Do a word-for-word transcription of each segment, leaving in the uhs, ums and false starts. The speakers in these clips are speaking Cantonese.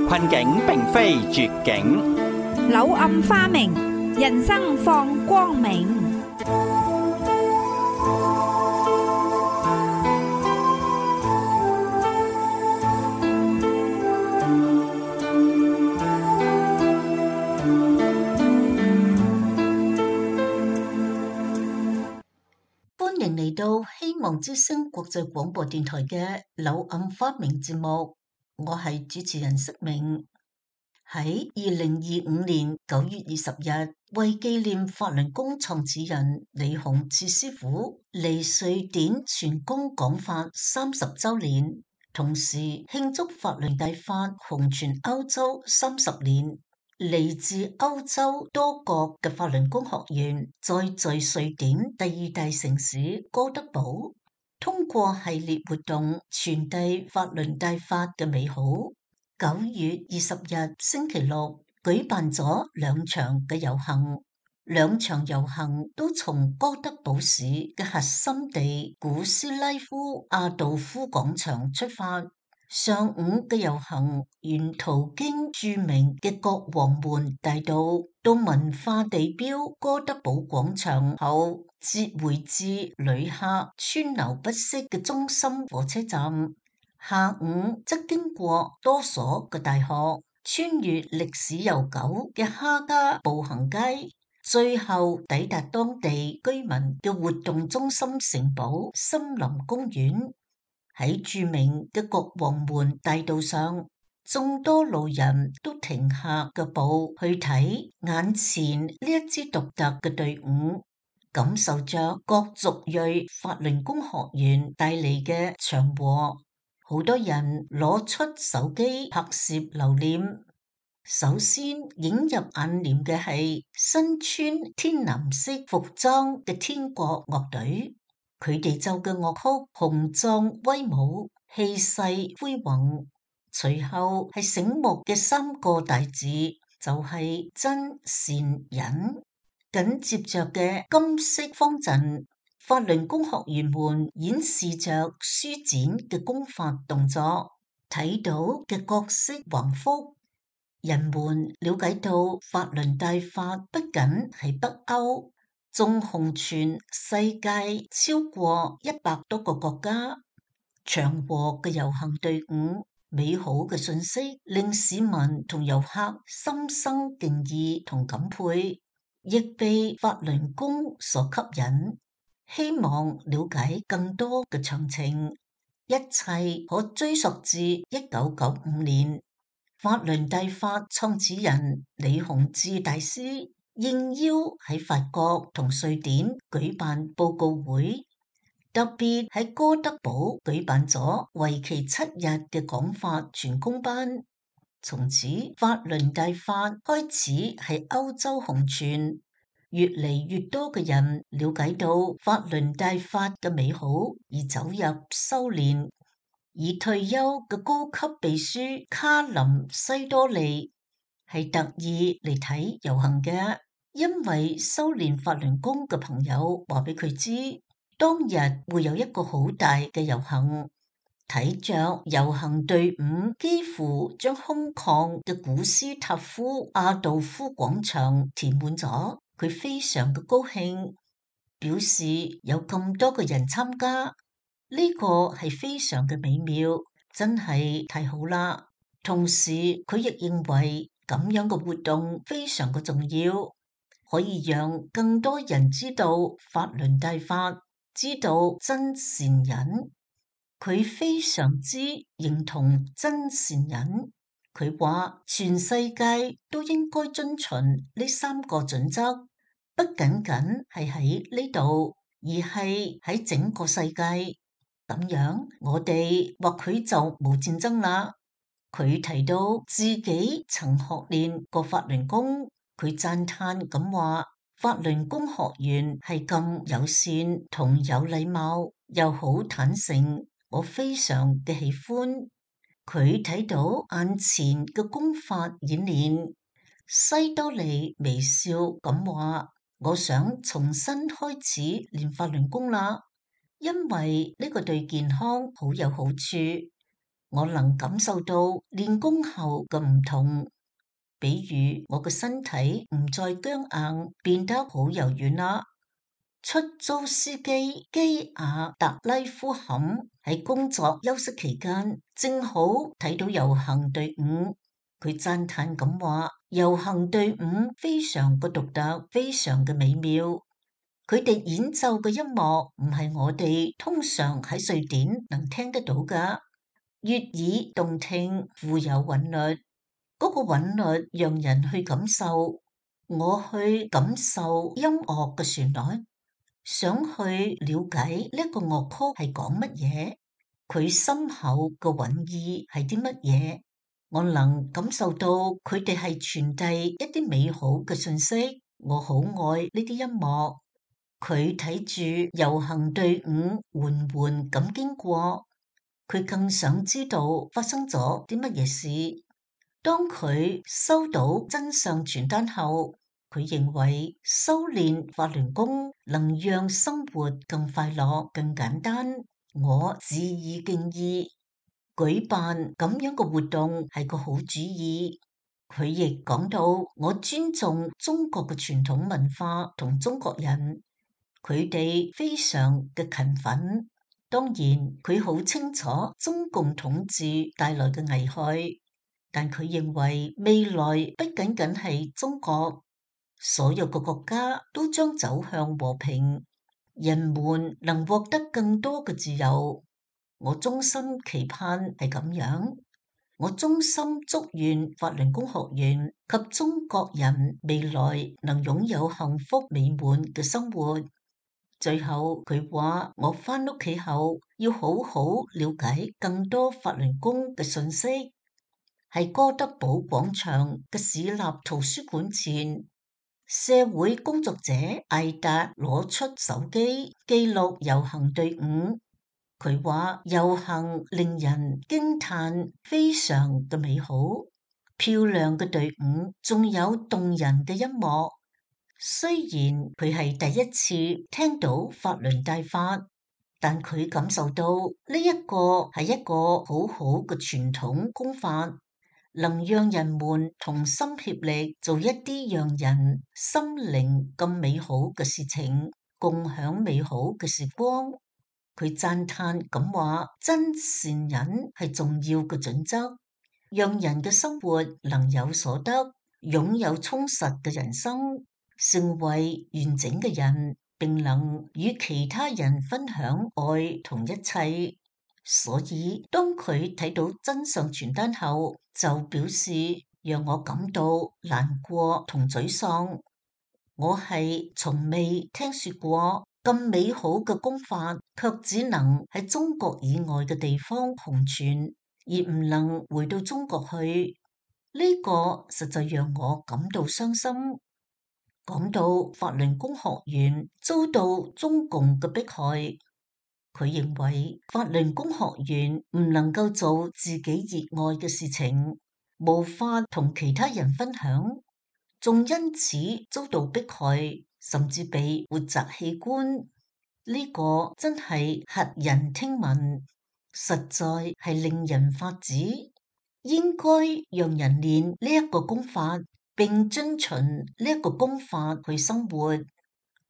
困境並非絕境，柳暗花明，人生放光明。歡迎嚟到希望之聲國際廣播電台嘅柳暗花明節目，我係主持人釋明。喺二零二五年九月二十日，為紀念法輪功創始人李洪志師傅嚟瑞典傳功講法三十周年，同時慶祝法輪大法紅傳歐洲三十年。嚟自歐洲多國嘅法輪功學員，再在瑞典第二大城市哥德堡，通過系列活動傳遞法輪大法嘅美好。九月二十日星期六舉辦咗兩場嘅遊行，兩場遊行都從哥德堡市嘅核心地古斯拉夫阿道夫廣場出發。上午嘅遊行沿途經著名嘅國王門大道到文化地標哥德堡廣場後，折回至旅客川流不息嘅中心火車站。下午則經過多所嘅大學，穿越歷史悠久嘅哈加步行街，最後抵達當地居民嘅活動中心城堡森林公園。喺著名嘅國王門大道上，眾多路人都停下腳步去睇眼前呢一支獨特嘅隊伍，感受着各族裔法輪功學員帶嚟嘅祥和。好多人攞出手機拍攝留念。首先映入眼簾嘅係身穿天藍色服裝嘅天國樂隊。佢哋奏嘅樂曲雄壯威武，氣勢恢宏。隨後係醒目嘅三個大字，就係、是、真善忍。緊接着嘅金色方陣，法輪功學員們演示着舒展嘅功法動作，睇到嘅各色橫幅，人們了解到法輪大法不僅係北歐，仲紅傳世界超過一百多個國家。祥和嘅遊行隊伍，美好嘅信息令市民同遊客心生敬意同感佩，亦被法輪功所吸引，希望了解更多嘅詳情。一切可追溯至一九九五年，法輪大法創始人李洪志大師應邀喺法國同瑞典舉辦報告會，特別喺哥德堡舉辦咗為期七日嘅講法傳功班。從此法輪大法開始喺歐洲紅傳，越嚟越多嘅人了解到法輪大法嘅美好而走入修煉。而退休嘅高級秘書卡林西多利係特意嚟睇遊行嘅，因為修煉法輪功嘅朋友話俾佢知，當日會有一個好大嘅遊行，睇着遊行隊伍幾乎將空曠嘅古斯塔夫阿道夫廣場填滿咗，佢非常嘅高興，表示有咁多嘅人參加。呢個係非常嘅美妙，真係太好啦！同時佢亦認為咁樣嘅活動非常嘅重要，可以讓更多人知道法輪大法，知道真善忍。佢非常之認同真善忍，佢話全世界都應該遵循呢三個準則，不僅僅係喺呢度，而係喺整個世界。咁樣，我哋或許就冇戰爭啦。佢提到自己曾學練過法輪功，佢讚嘆咁話：法輪功學員係咁友善同有禮貌，又好坦誠，我非常嘅喜歡。佢睇到眼前嘅功法演練，西多利微笑咁話：我想重新開始練法輪功啦。因為呢個對健康好有好處，我能感受到練功後嘅唔同，比如我嘅身體唔再僵硬，變得好柔軟啦。出租司機基亞特拉夫坎喺工作休息期間，正好睇到遊行隊伍，佢讚嘆咁話：遊行隊伍非常嘅獨特，非常嘅美妙。佢哋演奏嘅音樂唔係我哋通常喺瑞典能聽得到㗎，悅耳動聽，富有韻律。嗰個韻律讓人去感受，我去感受音樂嘅旋律，想去了解呢個樂曲係講乜嘢，佢深厚嘅韻意係啲乜嘢。我能感受到佢哋係傳遞一啲美好嘅信息，我好愛呢啲音樂。佢睇住遊行隊伍緩緩咁經過，佢更想知道發生咗啲乜嘢事。當佢收到真相傳單後，佢認為修煉法輪功能讓生活更快樂、更簡單。我致以敬意，舉辦咁樣嘅活動係個好主意。佢亦講到，我尊重中國嘅傳統文化同中國人。佢哋非常嘅勤奮，當然佢好清楚中共統治帶來嘅危害，但佢認為未來不僅僅係中國，所有嘅國家都將走向和平，人們能獲得更多嘅自由。我衷心期盼係咁樣，我衷心祝願法輪功學院及中國人未來能擁有幸福美滿嘅生活。最後佢話：我返屋企後要好好了解更多法輪功嘅信息。喺哥德堡廣場嘅市立圖書館前，社會工作者艾達攞出手機記錄遊行隊伍。佢話遊行令人驚嘆，非常嘅美好，漂亮嘅隊伍，仲有動人嘅音樂。雖然佢係第一次聽到法輪大法，但佢感受到呢一個係一個好好嘅傳統功法，能讓人們同心協力做一啲讓人心靈咁美好嘅事情，共享美好嘅時光。佢讚嘆咁話：真善忍係重要嘅準則，讓人嘅生活能有所得，擁有充實嘅人生。成為完整嘅人，並能與其他人分享愛同一切。所以當佢睇到真相傳單後，就表示讓我感到難過同沮喪。我係從未聽說過咁美好嘅功法，卻只能喺中國以外嘅地方紅傳，而唔能回到中國去。呢個實在讓我感到傷心。講到法輪功學院遭到中共嘅迫害，佢認為法輪功學院唔能夠做自己熱愛嘅事情，無法同其他人分享，仲因此遭到迫害，甚至被活摘器官。呢個真係駭人聽聞，實在係令人髮指。應該讓人練呢一個功法，並遵循呢一個功法去生活。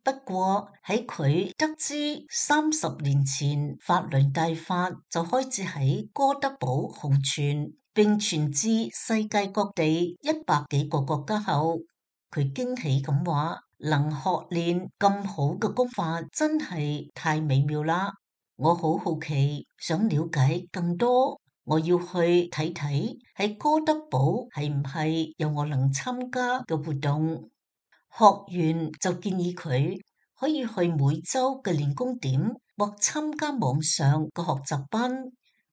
不過喺佢得知三十年前法輪大法就開始喺哥德堡紅傳，並傳至世界各地一百幾個國家後，佢驚喜咁話：能學練咁好嘅功法，真係太美妙啦！我好好奇，想了解更多。我要去睇睇喺哥德堡係唔係有我能參加嘅活動。學員就建議佢可以去每周嘅練功點或參加網上嘅學習班，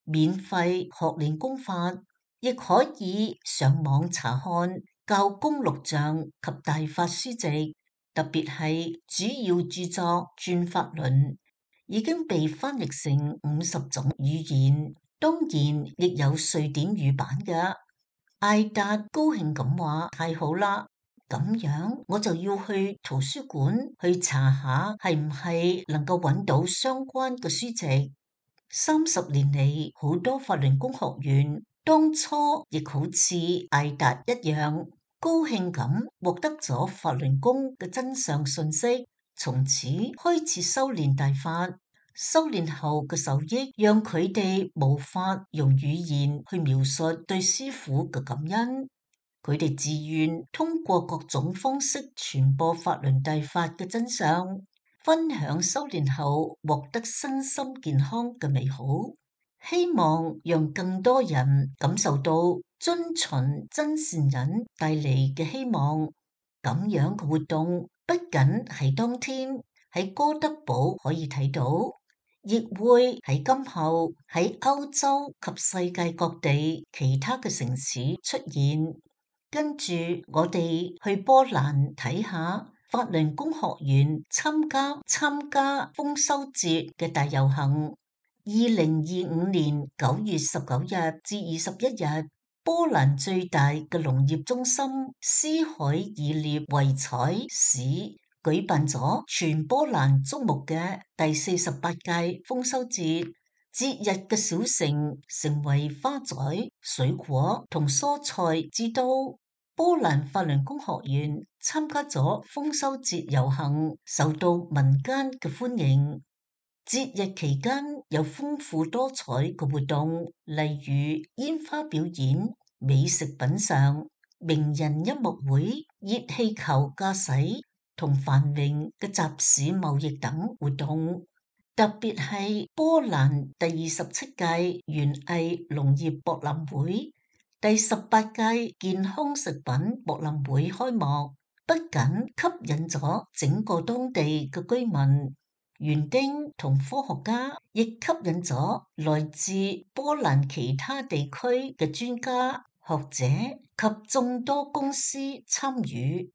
免費學練功法，亦可以上網查看教功錄像及大法書籍，特別係主要著作《轉法輪》已經被翻譯成五十種語言。當然亦有瑞典語版嘅。艾達高興咁話：太好啦，咁樣我就要去圖書館去查下係唔係能夠揾到相關嘅書籍。三十年嚟，好多法輪功學員當初亦好似艾達一樣，高興咁獲得咗法輪功嘅真相信息，從此開始修煉大法。修煉後嘅受益，讓佢哋無法用語言去描述對師父嘅感恩。佢哋自願通過各種方式傳播法輪大法嘅真相，分享修煉後獲得身心健康嘅美好，希望讓更多人感受到遵循真善忍帶嚟嘅希望。咁樣嘅活動不僅係當天喺哥德堡可以睇到，亦會喺今後喺歐洲及世界各地其他嘅城市出現。跟住我哋去波蘭睇下法輪功學員參加參加豐收節嘅大遊行。二零二五年九月十九日至二十一日，波蘭最大嘅農業中心斯海爾涅維采市舉辦咗全波蘭矚目嘅第四十八屆豐收節。節日嘅小城成為花仔、水果同蔬菜之都。波蘭法輪功學員參加咗豐收節遊行，受到民間嘅歡迎。節日期間有豐富多彩嘅活動，例如煙花表演、美食品嘗、名人音樂會、熱氣球駕駛同繁榮嘅集市貿易等活動。特別係波蘭第二十七屆園藝農業博覽會、第十八屆健康食品博覽會開幕，不僅吸引咗整個當地嘅居民、園丁同科學家，亦吸引咗來自波蘭其他地區嘅專家、學者及眾多公司參與。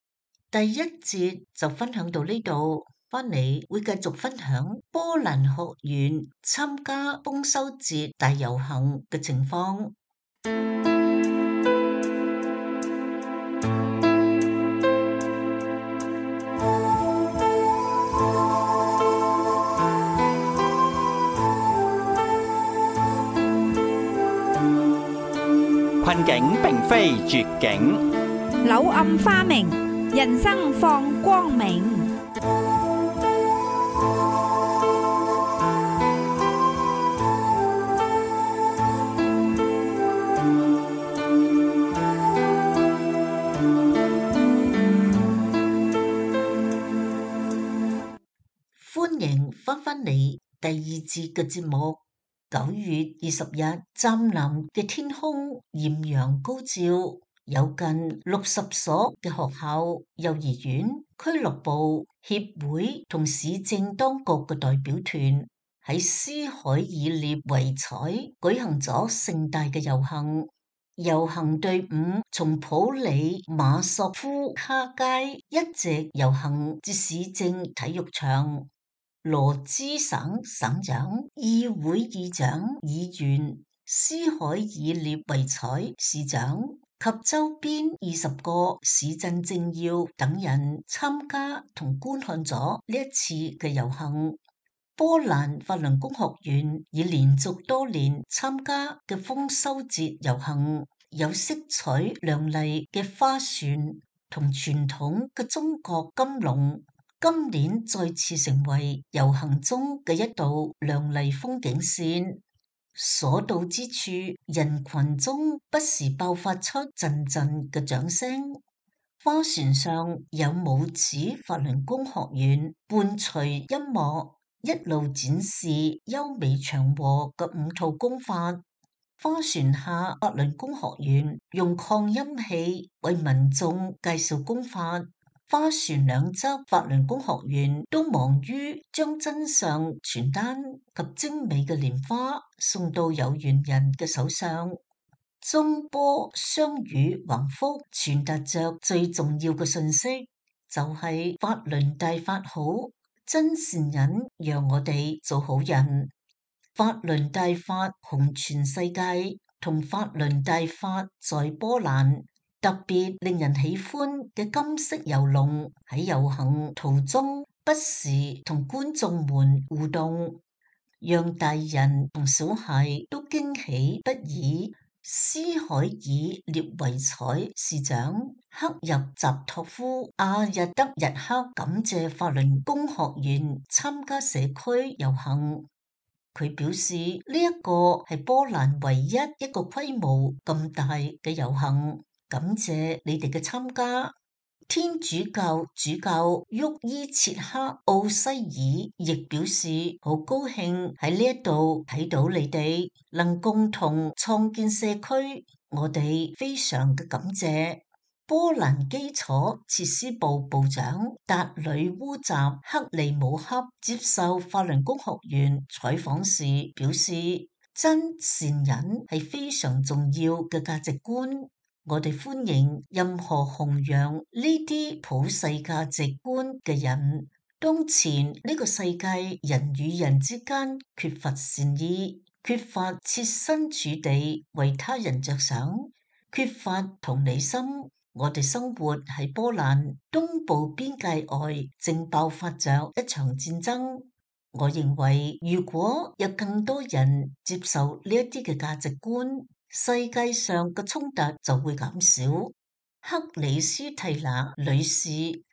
第一節就分享到呢度。翻嚟會繼續分享波蘭學員參加豐收節大遊行嘅情況。困境並非絕境，柳暗花明，人生放光明。歡迎翻返嚟第二節嘅節目。九月二十日，湛藍嘅天空豔陽高照，有近六十所嘅學校、幼兒園、俱樂部、協會同市政當局嘅代表團喺斯海爾涅維采舉行咗盛大嘅遊行。遊行隊伍從普里馬索夫卡街一直遊行至市政體育場。羅茲省省長、議會議長、議員、斯海爾涅維采市長及周邊二十個市鎮政要等人參加同觀看咗呢一次嘅遊行。波蘭法輪功學員已連續多年參加嘅豐收節遊行，有色彩亮麗嘅花船同傳統嘅中國金龍。今年再次成為遊行中嘅一道亮麗風景線，所到之處，人群中不時爆發出陣陣嘅掌聲。花船上有舞子法輪功學員伴隨音樂，一路展示優美祥和嘅五套功法。花船下，法輪功學員用擴音器為民眾介紹功法。花船兩側法輪功學員都忙於將真相傳單及精美嘅蓮花送到有緣人嘅手上。中波雙語橫幅傳達着最重要嘅信息，就係、是、法輪大法好，真善忍讓我哋做好人。法輪大法紅全世界，同法輪大法在波蘭。特別令人喜歡嘅金色遊龍喺遊行途中不時同觀眾們互動。讓大人同小孩都驚喜不已。斯海爾列維采市長克入扎托夫阿日德日克感謝法輪功學員參加社區遊行。佢表示呢一個係波蘭唯一一個規模咁大嘅遊行，感謝你哋嘅參加。天主教主教沃伊切克奧西爾亦表示好高興喺呢一度睇到你哋能共同創建社區，我哋非常嘅感謝。波蘭基礎設施部部長達里烏扎克利姆克接受法輪功學員採訪時表示，真善忍係非常重要嘅價值觀，我哋歡迎任何弘揚呢啲普世價值觀嘅人。當前呢個世界人與人之間缺乏善意，缺乏設身處地為他人着想，缺乏同理心。我哋生活喺波蘭東部邊界外，正爆發着一場戰爭。我認為，如果有更多人接受呢一啲嘅價值觀，世界上嘅衝突就會減少。克里斯蒂娜女士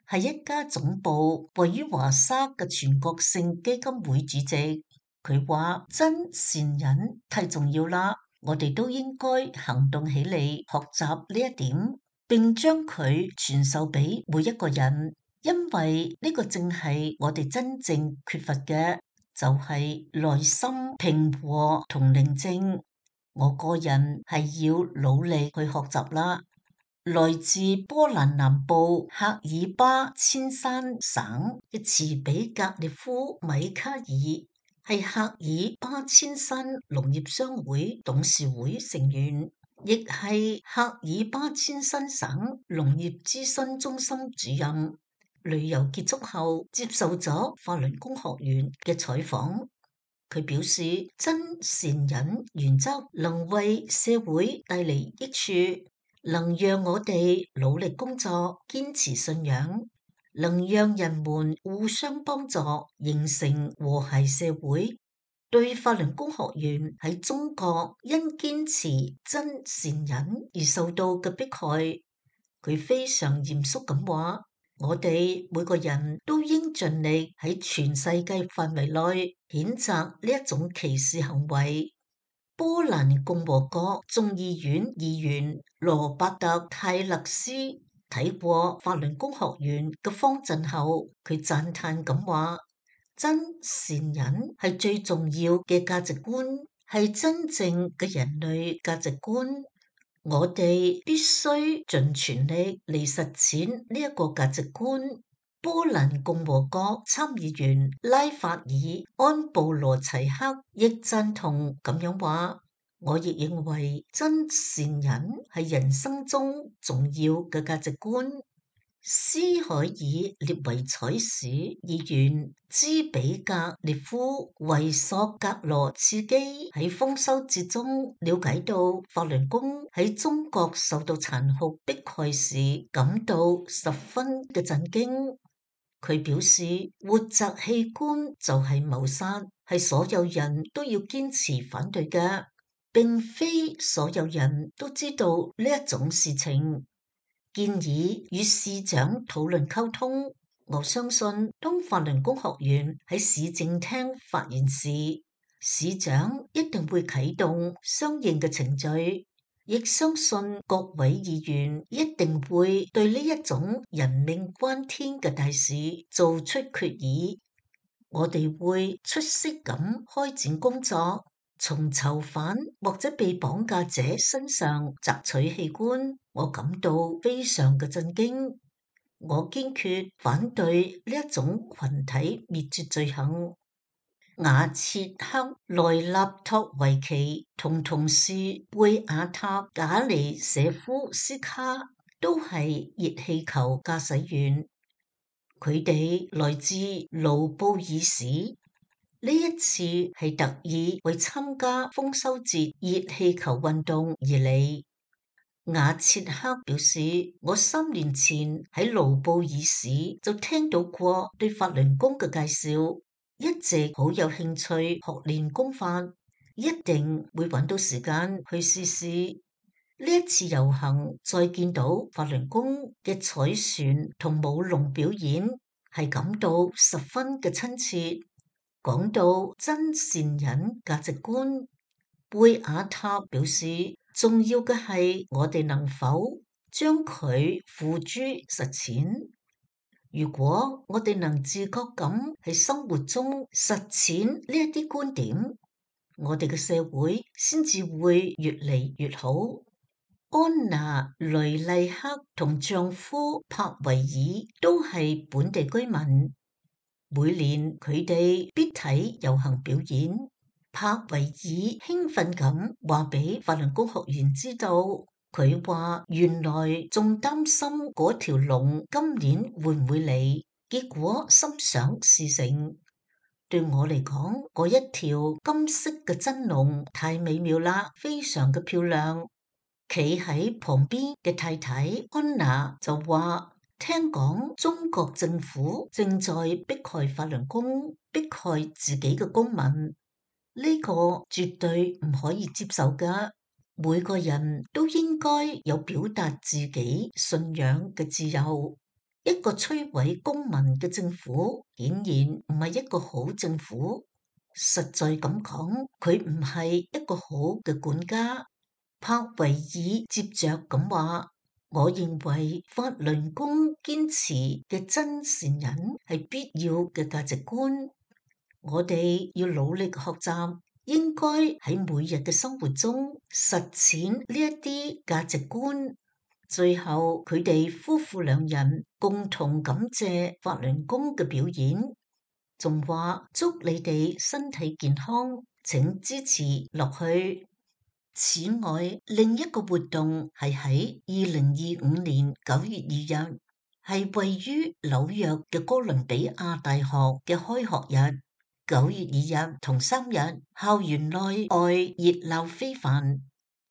係一家總部位於華沙嘅全國性基金會主席，佢話真善忍太重要啦，我哋都應該行動起嚟，學習呢一點。並將佢傳授俾每一個人，因為呢個正係我哋真正缺乏嘅，就係內心平和同寧靜。我個人係要努力去學習啦。來自波蘭南部赫爾巴千山省嘅茨比格列夫米卡爾係赫爾巴千山農業商會董事會成員，亦係赫爾巴千山省農業諮詢中心主任。旅遊結束後，接受咗法輪功學員嘅採訪，佢表示真善忍原則能為社會帶嚟益處，能讓我哋努力工作、堅持信仰，能讓人們互相幫助，形成和諧社會。對法輪功學員喺中國因堅持真善忍而受到嘅迫害，佢非常嚴肅咁話：我哋每個人都應盡力喺全世界範圍內譴責呢一種歧視行為。波蘭共和國眾議院議員羅伯特泰勒斯睇過法輪功學員嘅方陣後，佢讚嘆咁話：真善忍係最重要嘅價值觀，係真正嘅人類價值觀。我哋必須盡全力嚟實踐呢一個價值觀。波蘭共和國參議員拉法爾安布羅齊克亦贊同咁樣話：我亦認為真善忍係人生中重要嘅價值觀。斯海爾列維采市議員茲比格列夫維索格羅茨基喺豐收節中了解到法輪功喺中國受到殘酷迫害時，感到十分嘅震驚。佢表示，活摘器官就係謀殺，係所有人都要堅持反對嘅，並非所有人都知道呢一種事情。建議與市長討論溝通。我相信當法輪功學員喺市政廳發言時，市長一定會啟動相應嘅程序，亦相信各位議員一定會對呢一種人命關天嘅大事做出決議。我哋會出色咁開展工作，從囚犯或者被綁架者身上摘取器官。我感到非常嘅震驚，我堅決反對呢一種群體滅絕罪行。瓦切克內納托維奇同同事貝亞塔賈尼舍夫斯卡都係熱氣球駕駛員，佢哋來自盧布爾市，呢一次係特意為參加豐收節熱氣球運動而嚟。瓦切克表示，我三年前喺盧布爾市就聽到過對法輪功嘅介紹，一直好有興趣學練功法，一定會揾到時間去試試。呢一次遊行再見到法輪功嘅彩船同舞龍表演，係感到十分嘅親切。講到真善忍價值觀，貝亞塔表示，重要嘅係我哋能否將佢付諸實踐。如果我哋能自覺咁喺生活中實踐呢一啲觀點，我哋嘅社會先至會越嚟越好。安娜雷麗克同丈夫柏維爾都係本地居民，每年佢哋必睇遊行表演。柏維爾興奮咁話俾法輪功學員知道，佢話原來仲擔心嗰條龍今年會唔會嚟，結果心想事成。對我嚟講，嗰一條金色嘅真龍太美妙啦，非常嘅漂亮。企喺旁邊嘅太太安娜就話，聽講中國政府正在迫害法輪功，迫害自己嘅公民，呢個絕對唔可以接受㗎。每個人都應該有表達自己信仰嘅自由。一個摧毀公民嘅政府，顯然唔係一個好政府。實在咁講，佢唔係一個好嘅管家。柏維爾接着咁話，我認為法輪功堅持嘅真善忍係必要嘅價值觀。我哋要努力學習，應該喺每日嘅生活中實踐呢一啲價值觀。最後，佢哋夫婦兩人共同感謝法輪功嘅表演，仲話祝你哋身體健康，請支持落去。此外，另一個活動係喺二零二五年九月二日，係位於紐約嘅哥倫比亞大學嘅開學日。九月二日同三日，校園內外熱鬧非凡，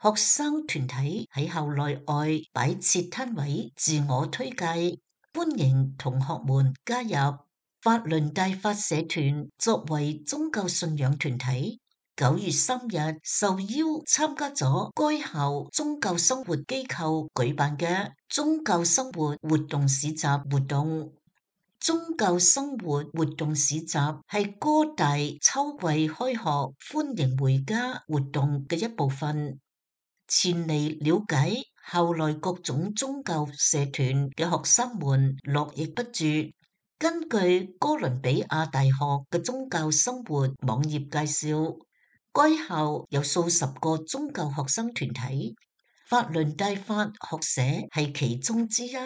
學生團體喺校內外擺設攤位，自我推介，歡迎同學們加入。法輪大法社團作為宗教信仰團體，九月三日受邀參加咗該校宗教生活機構舉辦嘅宗教生活活動市集活動。宗教生活活動市集係哥大秋季開學歡迎回家活動嘅一部分。前嚟了解校內各種宗教社團嘅學生們絡繹不絕。根據哥倫比亞大學嘅宗教生活網頁介紹，該校有數十個宗教學生團體，法輪大法學社係其中之一。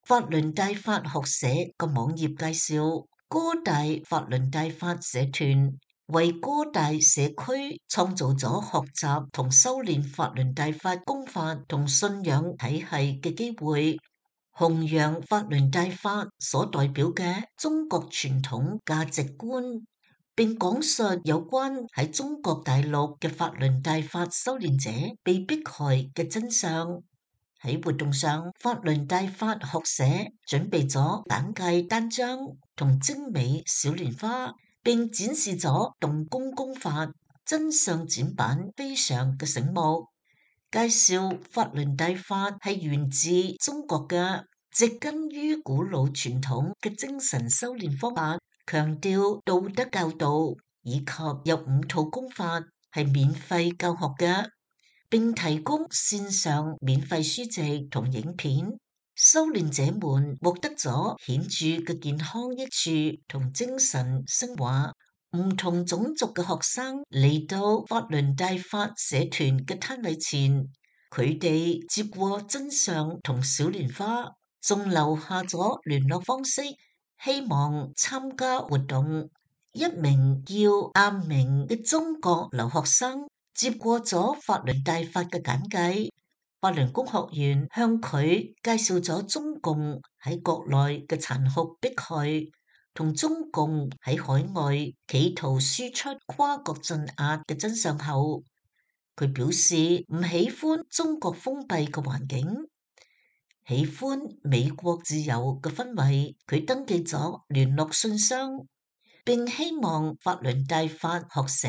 法輪大法學社個網頁介紹，哥大法輪大法社團為哥大社區創造咗學習同修煉法輪大法功法同信仰體系嘅機會，弘揚法輪大法所代表嘅中國傳統價值觀，並講述有關喺中國大陸嘅法輪大法修煉者被迫害嘅真相。喺活動上，法輪大法學社準備咗簡介單張同精美小蓮花，並展示咗動功功法，真相展板非常嘅醒目。介紹法輪大法係源自中國嘅，植根於古老傳統嘅精神修煉方法，強調道德教導，以及有五套功法係免費教學嘅。並提供線上免費書籍同影片，修煉者們獲得咗顯著嘅健康益處同精神升華。唔同種族嘅學生嚟到法輪大法社團嘅攤位前，佢哋接過真相同小蓮花，仲留下咗聯絡方式，希望參加活動。一名叫阿明嘅中國留學生接過咗法輪大法嘅簡介，法輪功學員向佢介紹咗中共喺國內嘅殘酷迫害，同中共喺海外企圖輸出跨國鎮壓嘅真相後，佢表示唔喜歡中國封閉嘅環境，喜歡美國自由嘅氛圍。佢登記咗聯絡信箱，並希望法倫大法學社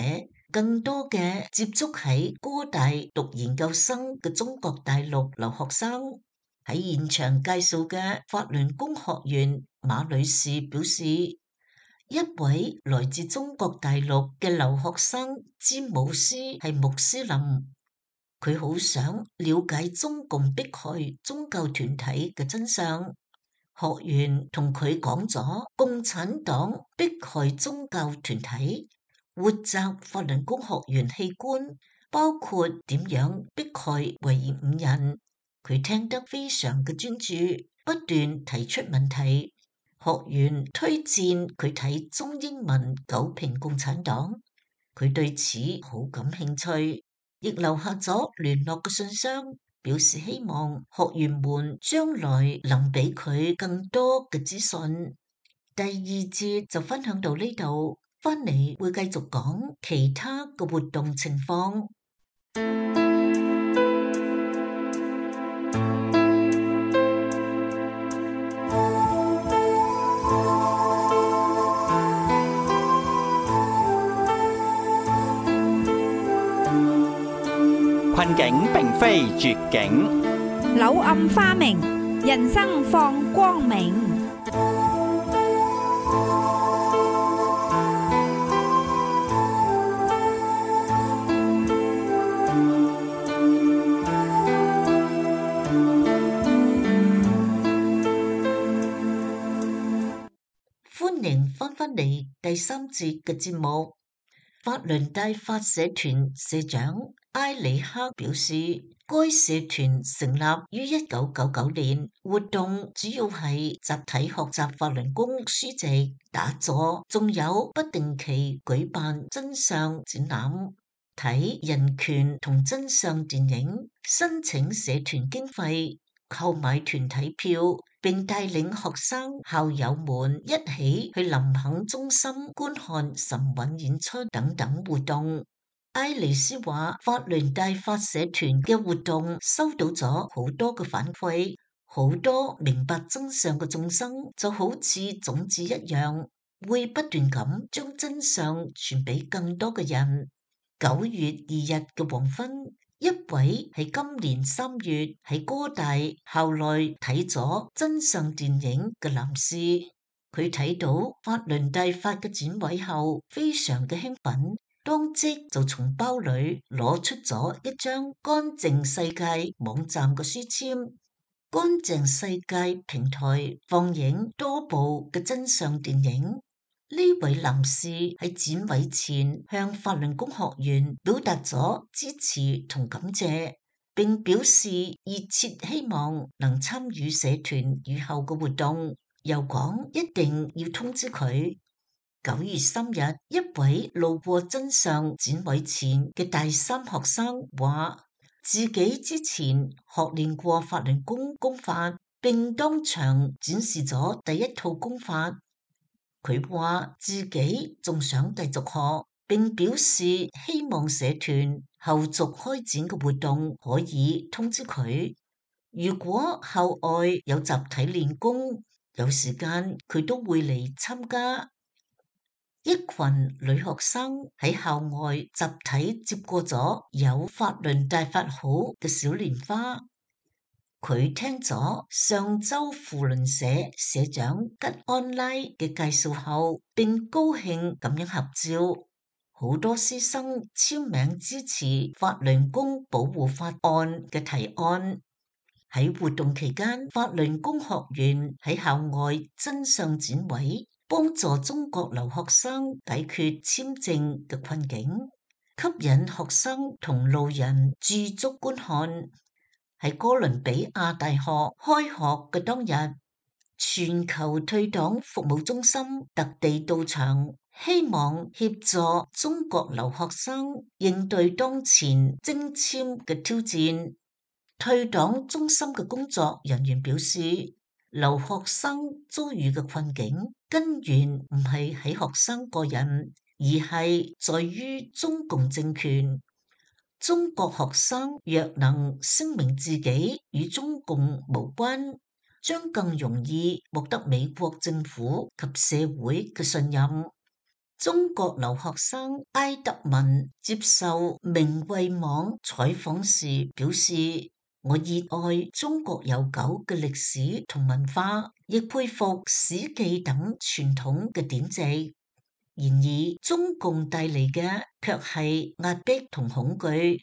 更多嘅接觸喺哥大讀研究生嘅中國大陸留學生。喺現場介紹嘅法輪功學員馬女士表示，一位來自中國大陸嘅留學生詹姆斯係穆斯林，佢好想了解中共迫害宗教團體嘅真相。學員同佢講咗共產黨迫害宗教團體，活摘法輪功學員器官，包括點樣迫害維吾爾人。佢聽得非常嘅專注，不斷提出問題。學員推薦佢睇中英文九評共產黨，佢對此好感興趣，亦留下咗聯絡嘅信箱，表示希望學員們將來能俾佢更多嘅資訊。第二節就分享到呢度，翻嚟會繼續講其他嘅活動情況。困境並非絕境，柳暗花明，人生放光明。歡迎翻返嚟第三節嘅節目。法輪大法社團社長埃里克表示，該社團成立於一九九九年，活動主要係集體學習法輪功書籍、打坐，仲有不定期舉辦真相展覽、睇人權同真相電影、申請社團經費、購買團體票，並帶領學生校友們一起去林肯中心觀看神韻演出等等活動。埃里斯話，法輪大法社團嘅活動收到咗好多嘅反饋，好多明白真相嘅眾生就好似種子一樣，會不斷咁將真相傳俾更多嘅人。九月二日嘅黃昏，一位喺今年三月喺哥大校內睇咗真相電影嘅男士，佢睇到法輪大法嘅展位後，非常嘅興奮，當即就從包裏攞出咗一張乾淨世界網站嘅書籤。乾淨世界平台放映多部嘅真相電影。呢位男士喺展位前向法輪功學員表達咗支持同感謝，並表示熱切希望能參與社團以後嘅活動，又講一定要通知佢。九月三日，一位路過真相展位前嘅大三學生話，自己之前學練過法輪功功法，並當場展示咗第一套功法。佢話自己仲想繼續學，並表示希望社團後續開展嘅活動可以通知佢。如果校外有集體練功，有時間佢都會嚟參加。一群女學生喺校外集體接過咗有法輪大法好嘅小蓮花。佢聽咗上周扶輪社社長吉安拉嘅介紹後，並高興咁樣合照。好多師生簽名支持法輪功保護法案嘅提案。喺活動期間，法輪功學員喺校外真相展位幫助中國留學生解決簽證嘅困境，吸引學生同路人駐足觀看。喺哥倫比亞大學開學嘅當日，全球退黨服務中心特地到場，希望協助中國留學生應對當前徵簽嘅挑戰。退黨中心嘅工作人員表示，留學生遭遇嘅困境根源唔係喺學生個人，而係在於中共政權。中國學生若能聲明自己與中共無關，將更容易獲得美國政府及社會嘅信任。中國留學生埃德文接受明慧網採訪時表示，我熱愛中國悠久嘅歷史同文化，亦佩服史記等傳統嘅典籍。然而，中共帶嚟嘅卻係壓迫同恐懼，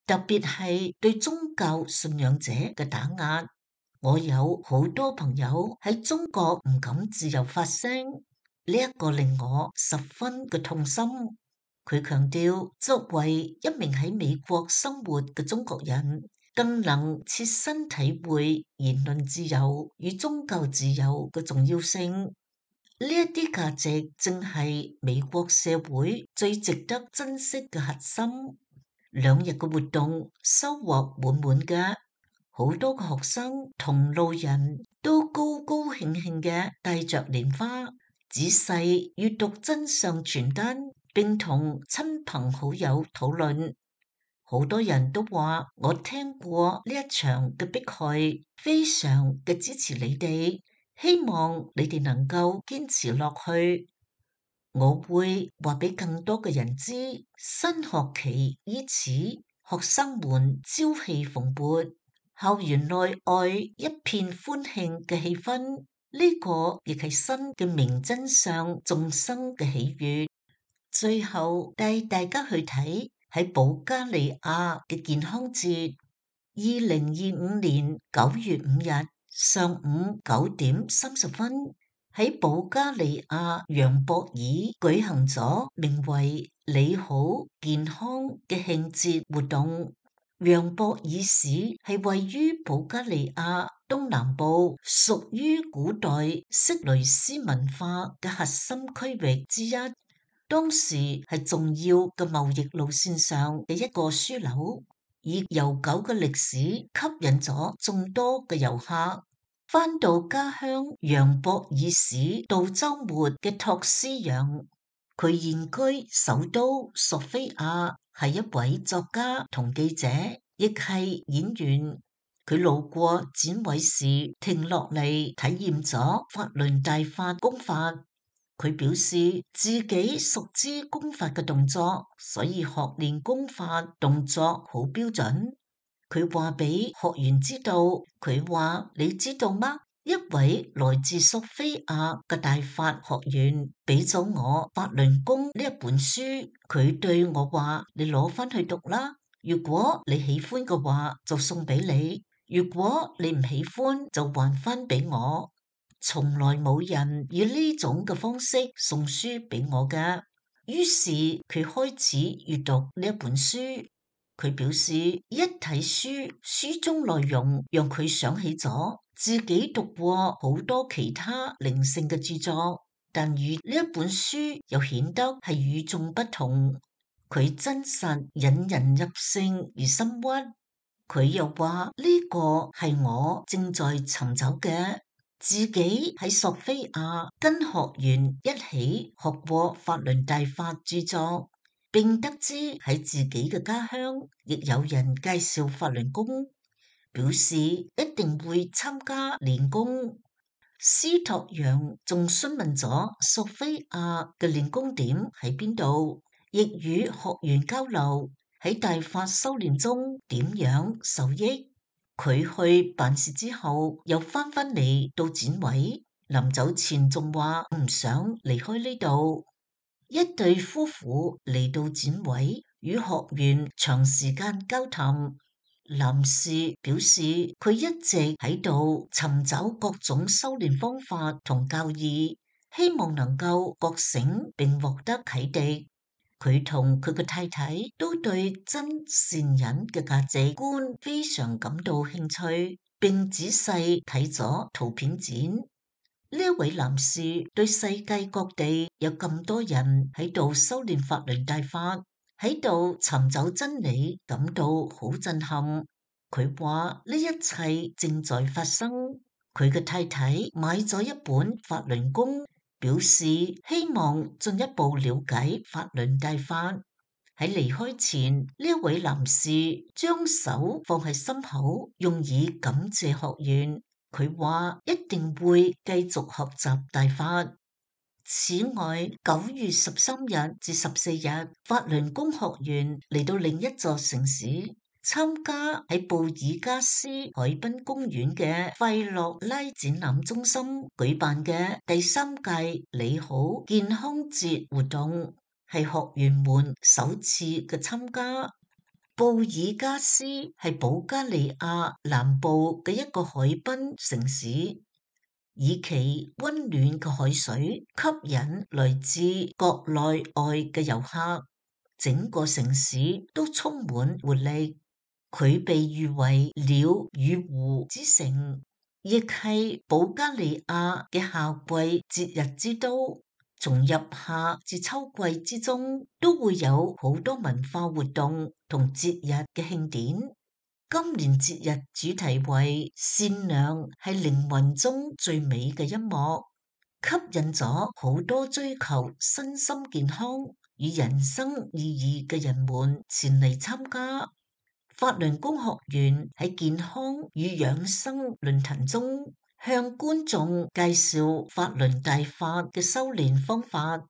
特別係對宗教信仰者嘅打壓。我有好多朋友喺中國唔敢自由發聲。呢一個令我十分嘅痛心。佢強調，作為一名喺美國生活嘅中國人，更能切身體會言論自由與宗教自由嘅重要性。呢一啲價值正係美國社會最值得珍惜嘅核心。兩日嘅活動收穫滿滿嘅，好多個學生同路人都高高興興嘅帶着蓮花，仔細閱讀真相傳單，並同親朋好友討論。好多人都話我聽過呢一場嘅迫害，非常嘅支持你哋，希望你哋能夠堅持落去。我會話俾更多嘅人知，新學期伊始，學生們朝氣蓬勃，校園內外一片歡慶嘅氣氛。呢個亦係新嘅明真相眾生嘅喜悅。最後帶大家去睇喺保加利亞嘅健康節，二零二五年九月五日上午九點三十分喺保加利亞楊博爾舉行咗名為你好健康嘅慶節活動。楊博爾市係位於保加利亞東南部，屬於古代色雷斯文化嘅核心區域之一。當時係重要嘅貿易路線上嘅一個樞紐，以悠久嘅歷史吸引咗眾多嘅遊客。返到家鄉楊博爾市度週末嘅托斯揚，佢現居首都索菲亞，係一位作家同記者，亦係演員。佢路過展位時停落嚟體驗咗法輪大法功法。佢表示自己熟知功法嘅動作，所以學練功法動作好標準。佢話俾學員知道，佢話你知道嗎？一位來自索菲亞嘅大法學員俾咗我《法輪功》呢一本書，佢對我話：你攞翻去讀啦，如果你喜歡嘅話就送俾你，如果你唔喜歡就還翻俾我。從來冇人以呢種嘅方式送書俾我㗎。於是佢開始閱讀呢一本書。佢表示一睇書，書中內容讓佢想起咗自己讀過好多其他靈性嘅著作，但與呢一本書又顯得係與眾不同。佢真實引人入勝而深鬱。佢又話呢個係我正在尋找嘅。自己喺索菲亞跟學員一起學過法輪大法著作，並得知喺自己嘅家鄉亦有人介紹法輪功，表示一定會參加練功。司托揚仲詢問咗索菲亞嘅練功點喺邊度，亦與學員交流喺大法修煉中點樣受益。佢去辦事之後，又翻返嚟到展位，臨走前仲話唔想離開呢度。一對夫婦嚟到展位，與學員長時間交談。男士表示佢一直喺度尋找各種修煉方法同教義，希望能夠覺醒並獲得啟迪。佢同佢嘅太太都對真善忍嘅價值觀非常感到興趣，並仔細睇咗圖片展。呢位男士對世界各地有咁多人喺度修煉法輪大法，喺度尋找真理，感到好震撼。佢話呢一切正在發生。佢嘅太太買咗一本法輪功，表示希望進一步了解法輪大法。喺離開前，呢位男士將手放喺心口，用以感謝學員。佢話一定會繼續學習大法。此外，九月十三日至十四日，法輪功學員嚟到另一座城市，參加喺布爾加斯海濱公園嘅費洛拉展覽中心舉辦嘅第三屆你好健康節活動，係學員們首次嘅參加。布爾加斯係保加利亞南部嘅一個海濱城市，以其溫暖嘅海水吸引來自國內外嘅遊客，整個城市都充滿活力。佢被譽為鳥與湖之城，亦係保加利亞嘅夏季節日之都。從入夏至秋季之中，都會有好多文化活動同節日嘅慶典。今年節日主題為善良係靈魂中最美嘅一幕，吸引咗好多追求身心健康與人生意義嘅人們前嚟參加。法輪功學員喺健康與養生論壇中，向觀眾介紹法輪大法嘅修煉方法，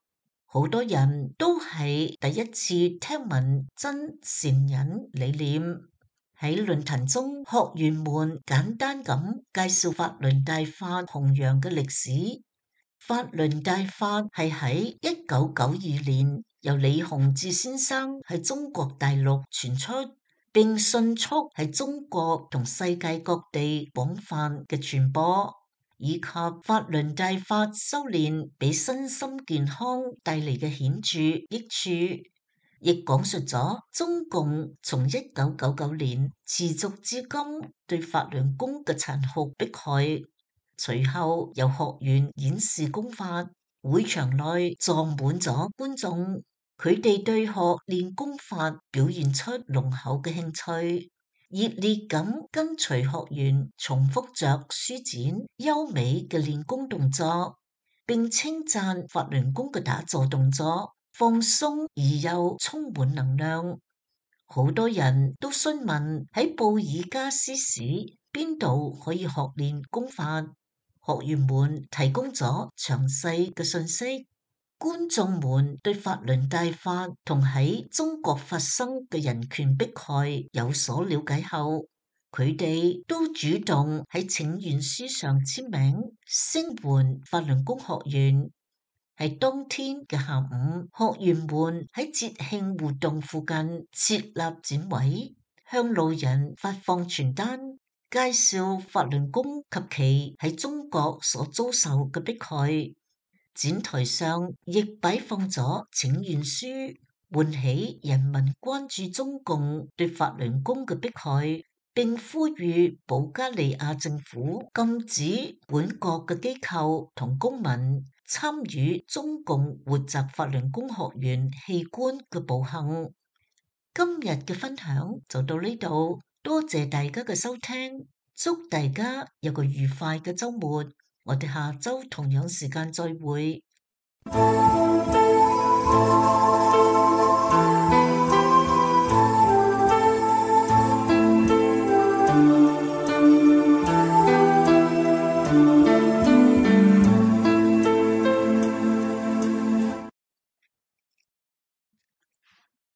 好多人都係第一次聽聞真善忍理念。喺論壇中，學員們簡單咁介紹法輪大法弘揚嘅歷史。法輪大法係喺一九九二年由李洪志先生喺中國大陸傳出，並迅速喺中國同世界各地廣泛嘅傳播，以及法輪大法修煉俾身心健康帶嚟嘅顯著益處，亦講述咗中共從一九九九年持續至今對法輪功嘅殘酷迫害。隨後由學員演示功法，會場內坐滿咗觀眾。佢哋對學練功法表現出濃厚嘅興趣，熱烈咁跟隨學員重複着舒展優美嘅練功動作，並稱讚法輪功嘅打坐動作放鬆而又充滿能量。好多人都詢問喺布爾加斯市邊度可以學練功法，學員們提供咗詳細嘅信息。觀眾們對法輪大法同喺中國發生嘅人權迫害有所了解後，佢哋都主動喺請願書上簽名，聲援法輪功學員。喺當天嘅下午，學員們喺節慶活動附近設立展位，向路人發放傳單，介紹法輪功及其喺中國所遭受嘅迫害。展台上亦擺放咗請願書，喚起人民關注中共對法輪功嘅迫害，並呼籲保加利亞政府禁止本國嘅機構同公民參與中共活摘法輪功學員器官嘅暴行。今日嘅分享就到呢度，多謝大家嘅收聽，祝大家有個愉快嘅週末。我哋下週同樣時間再會。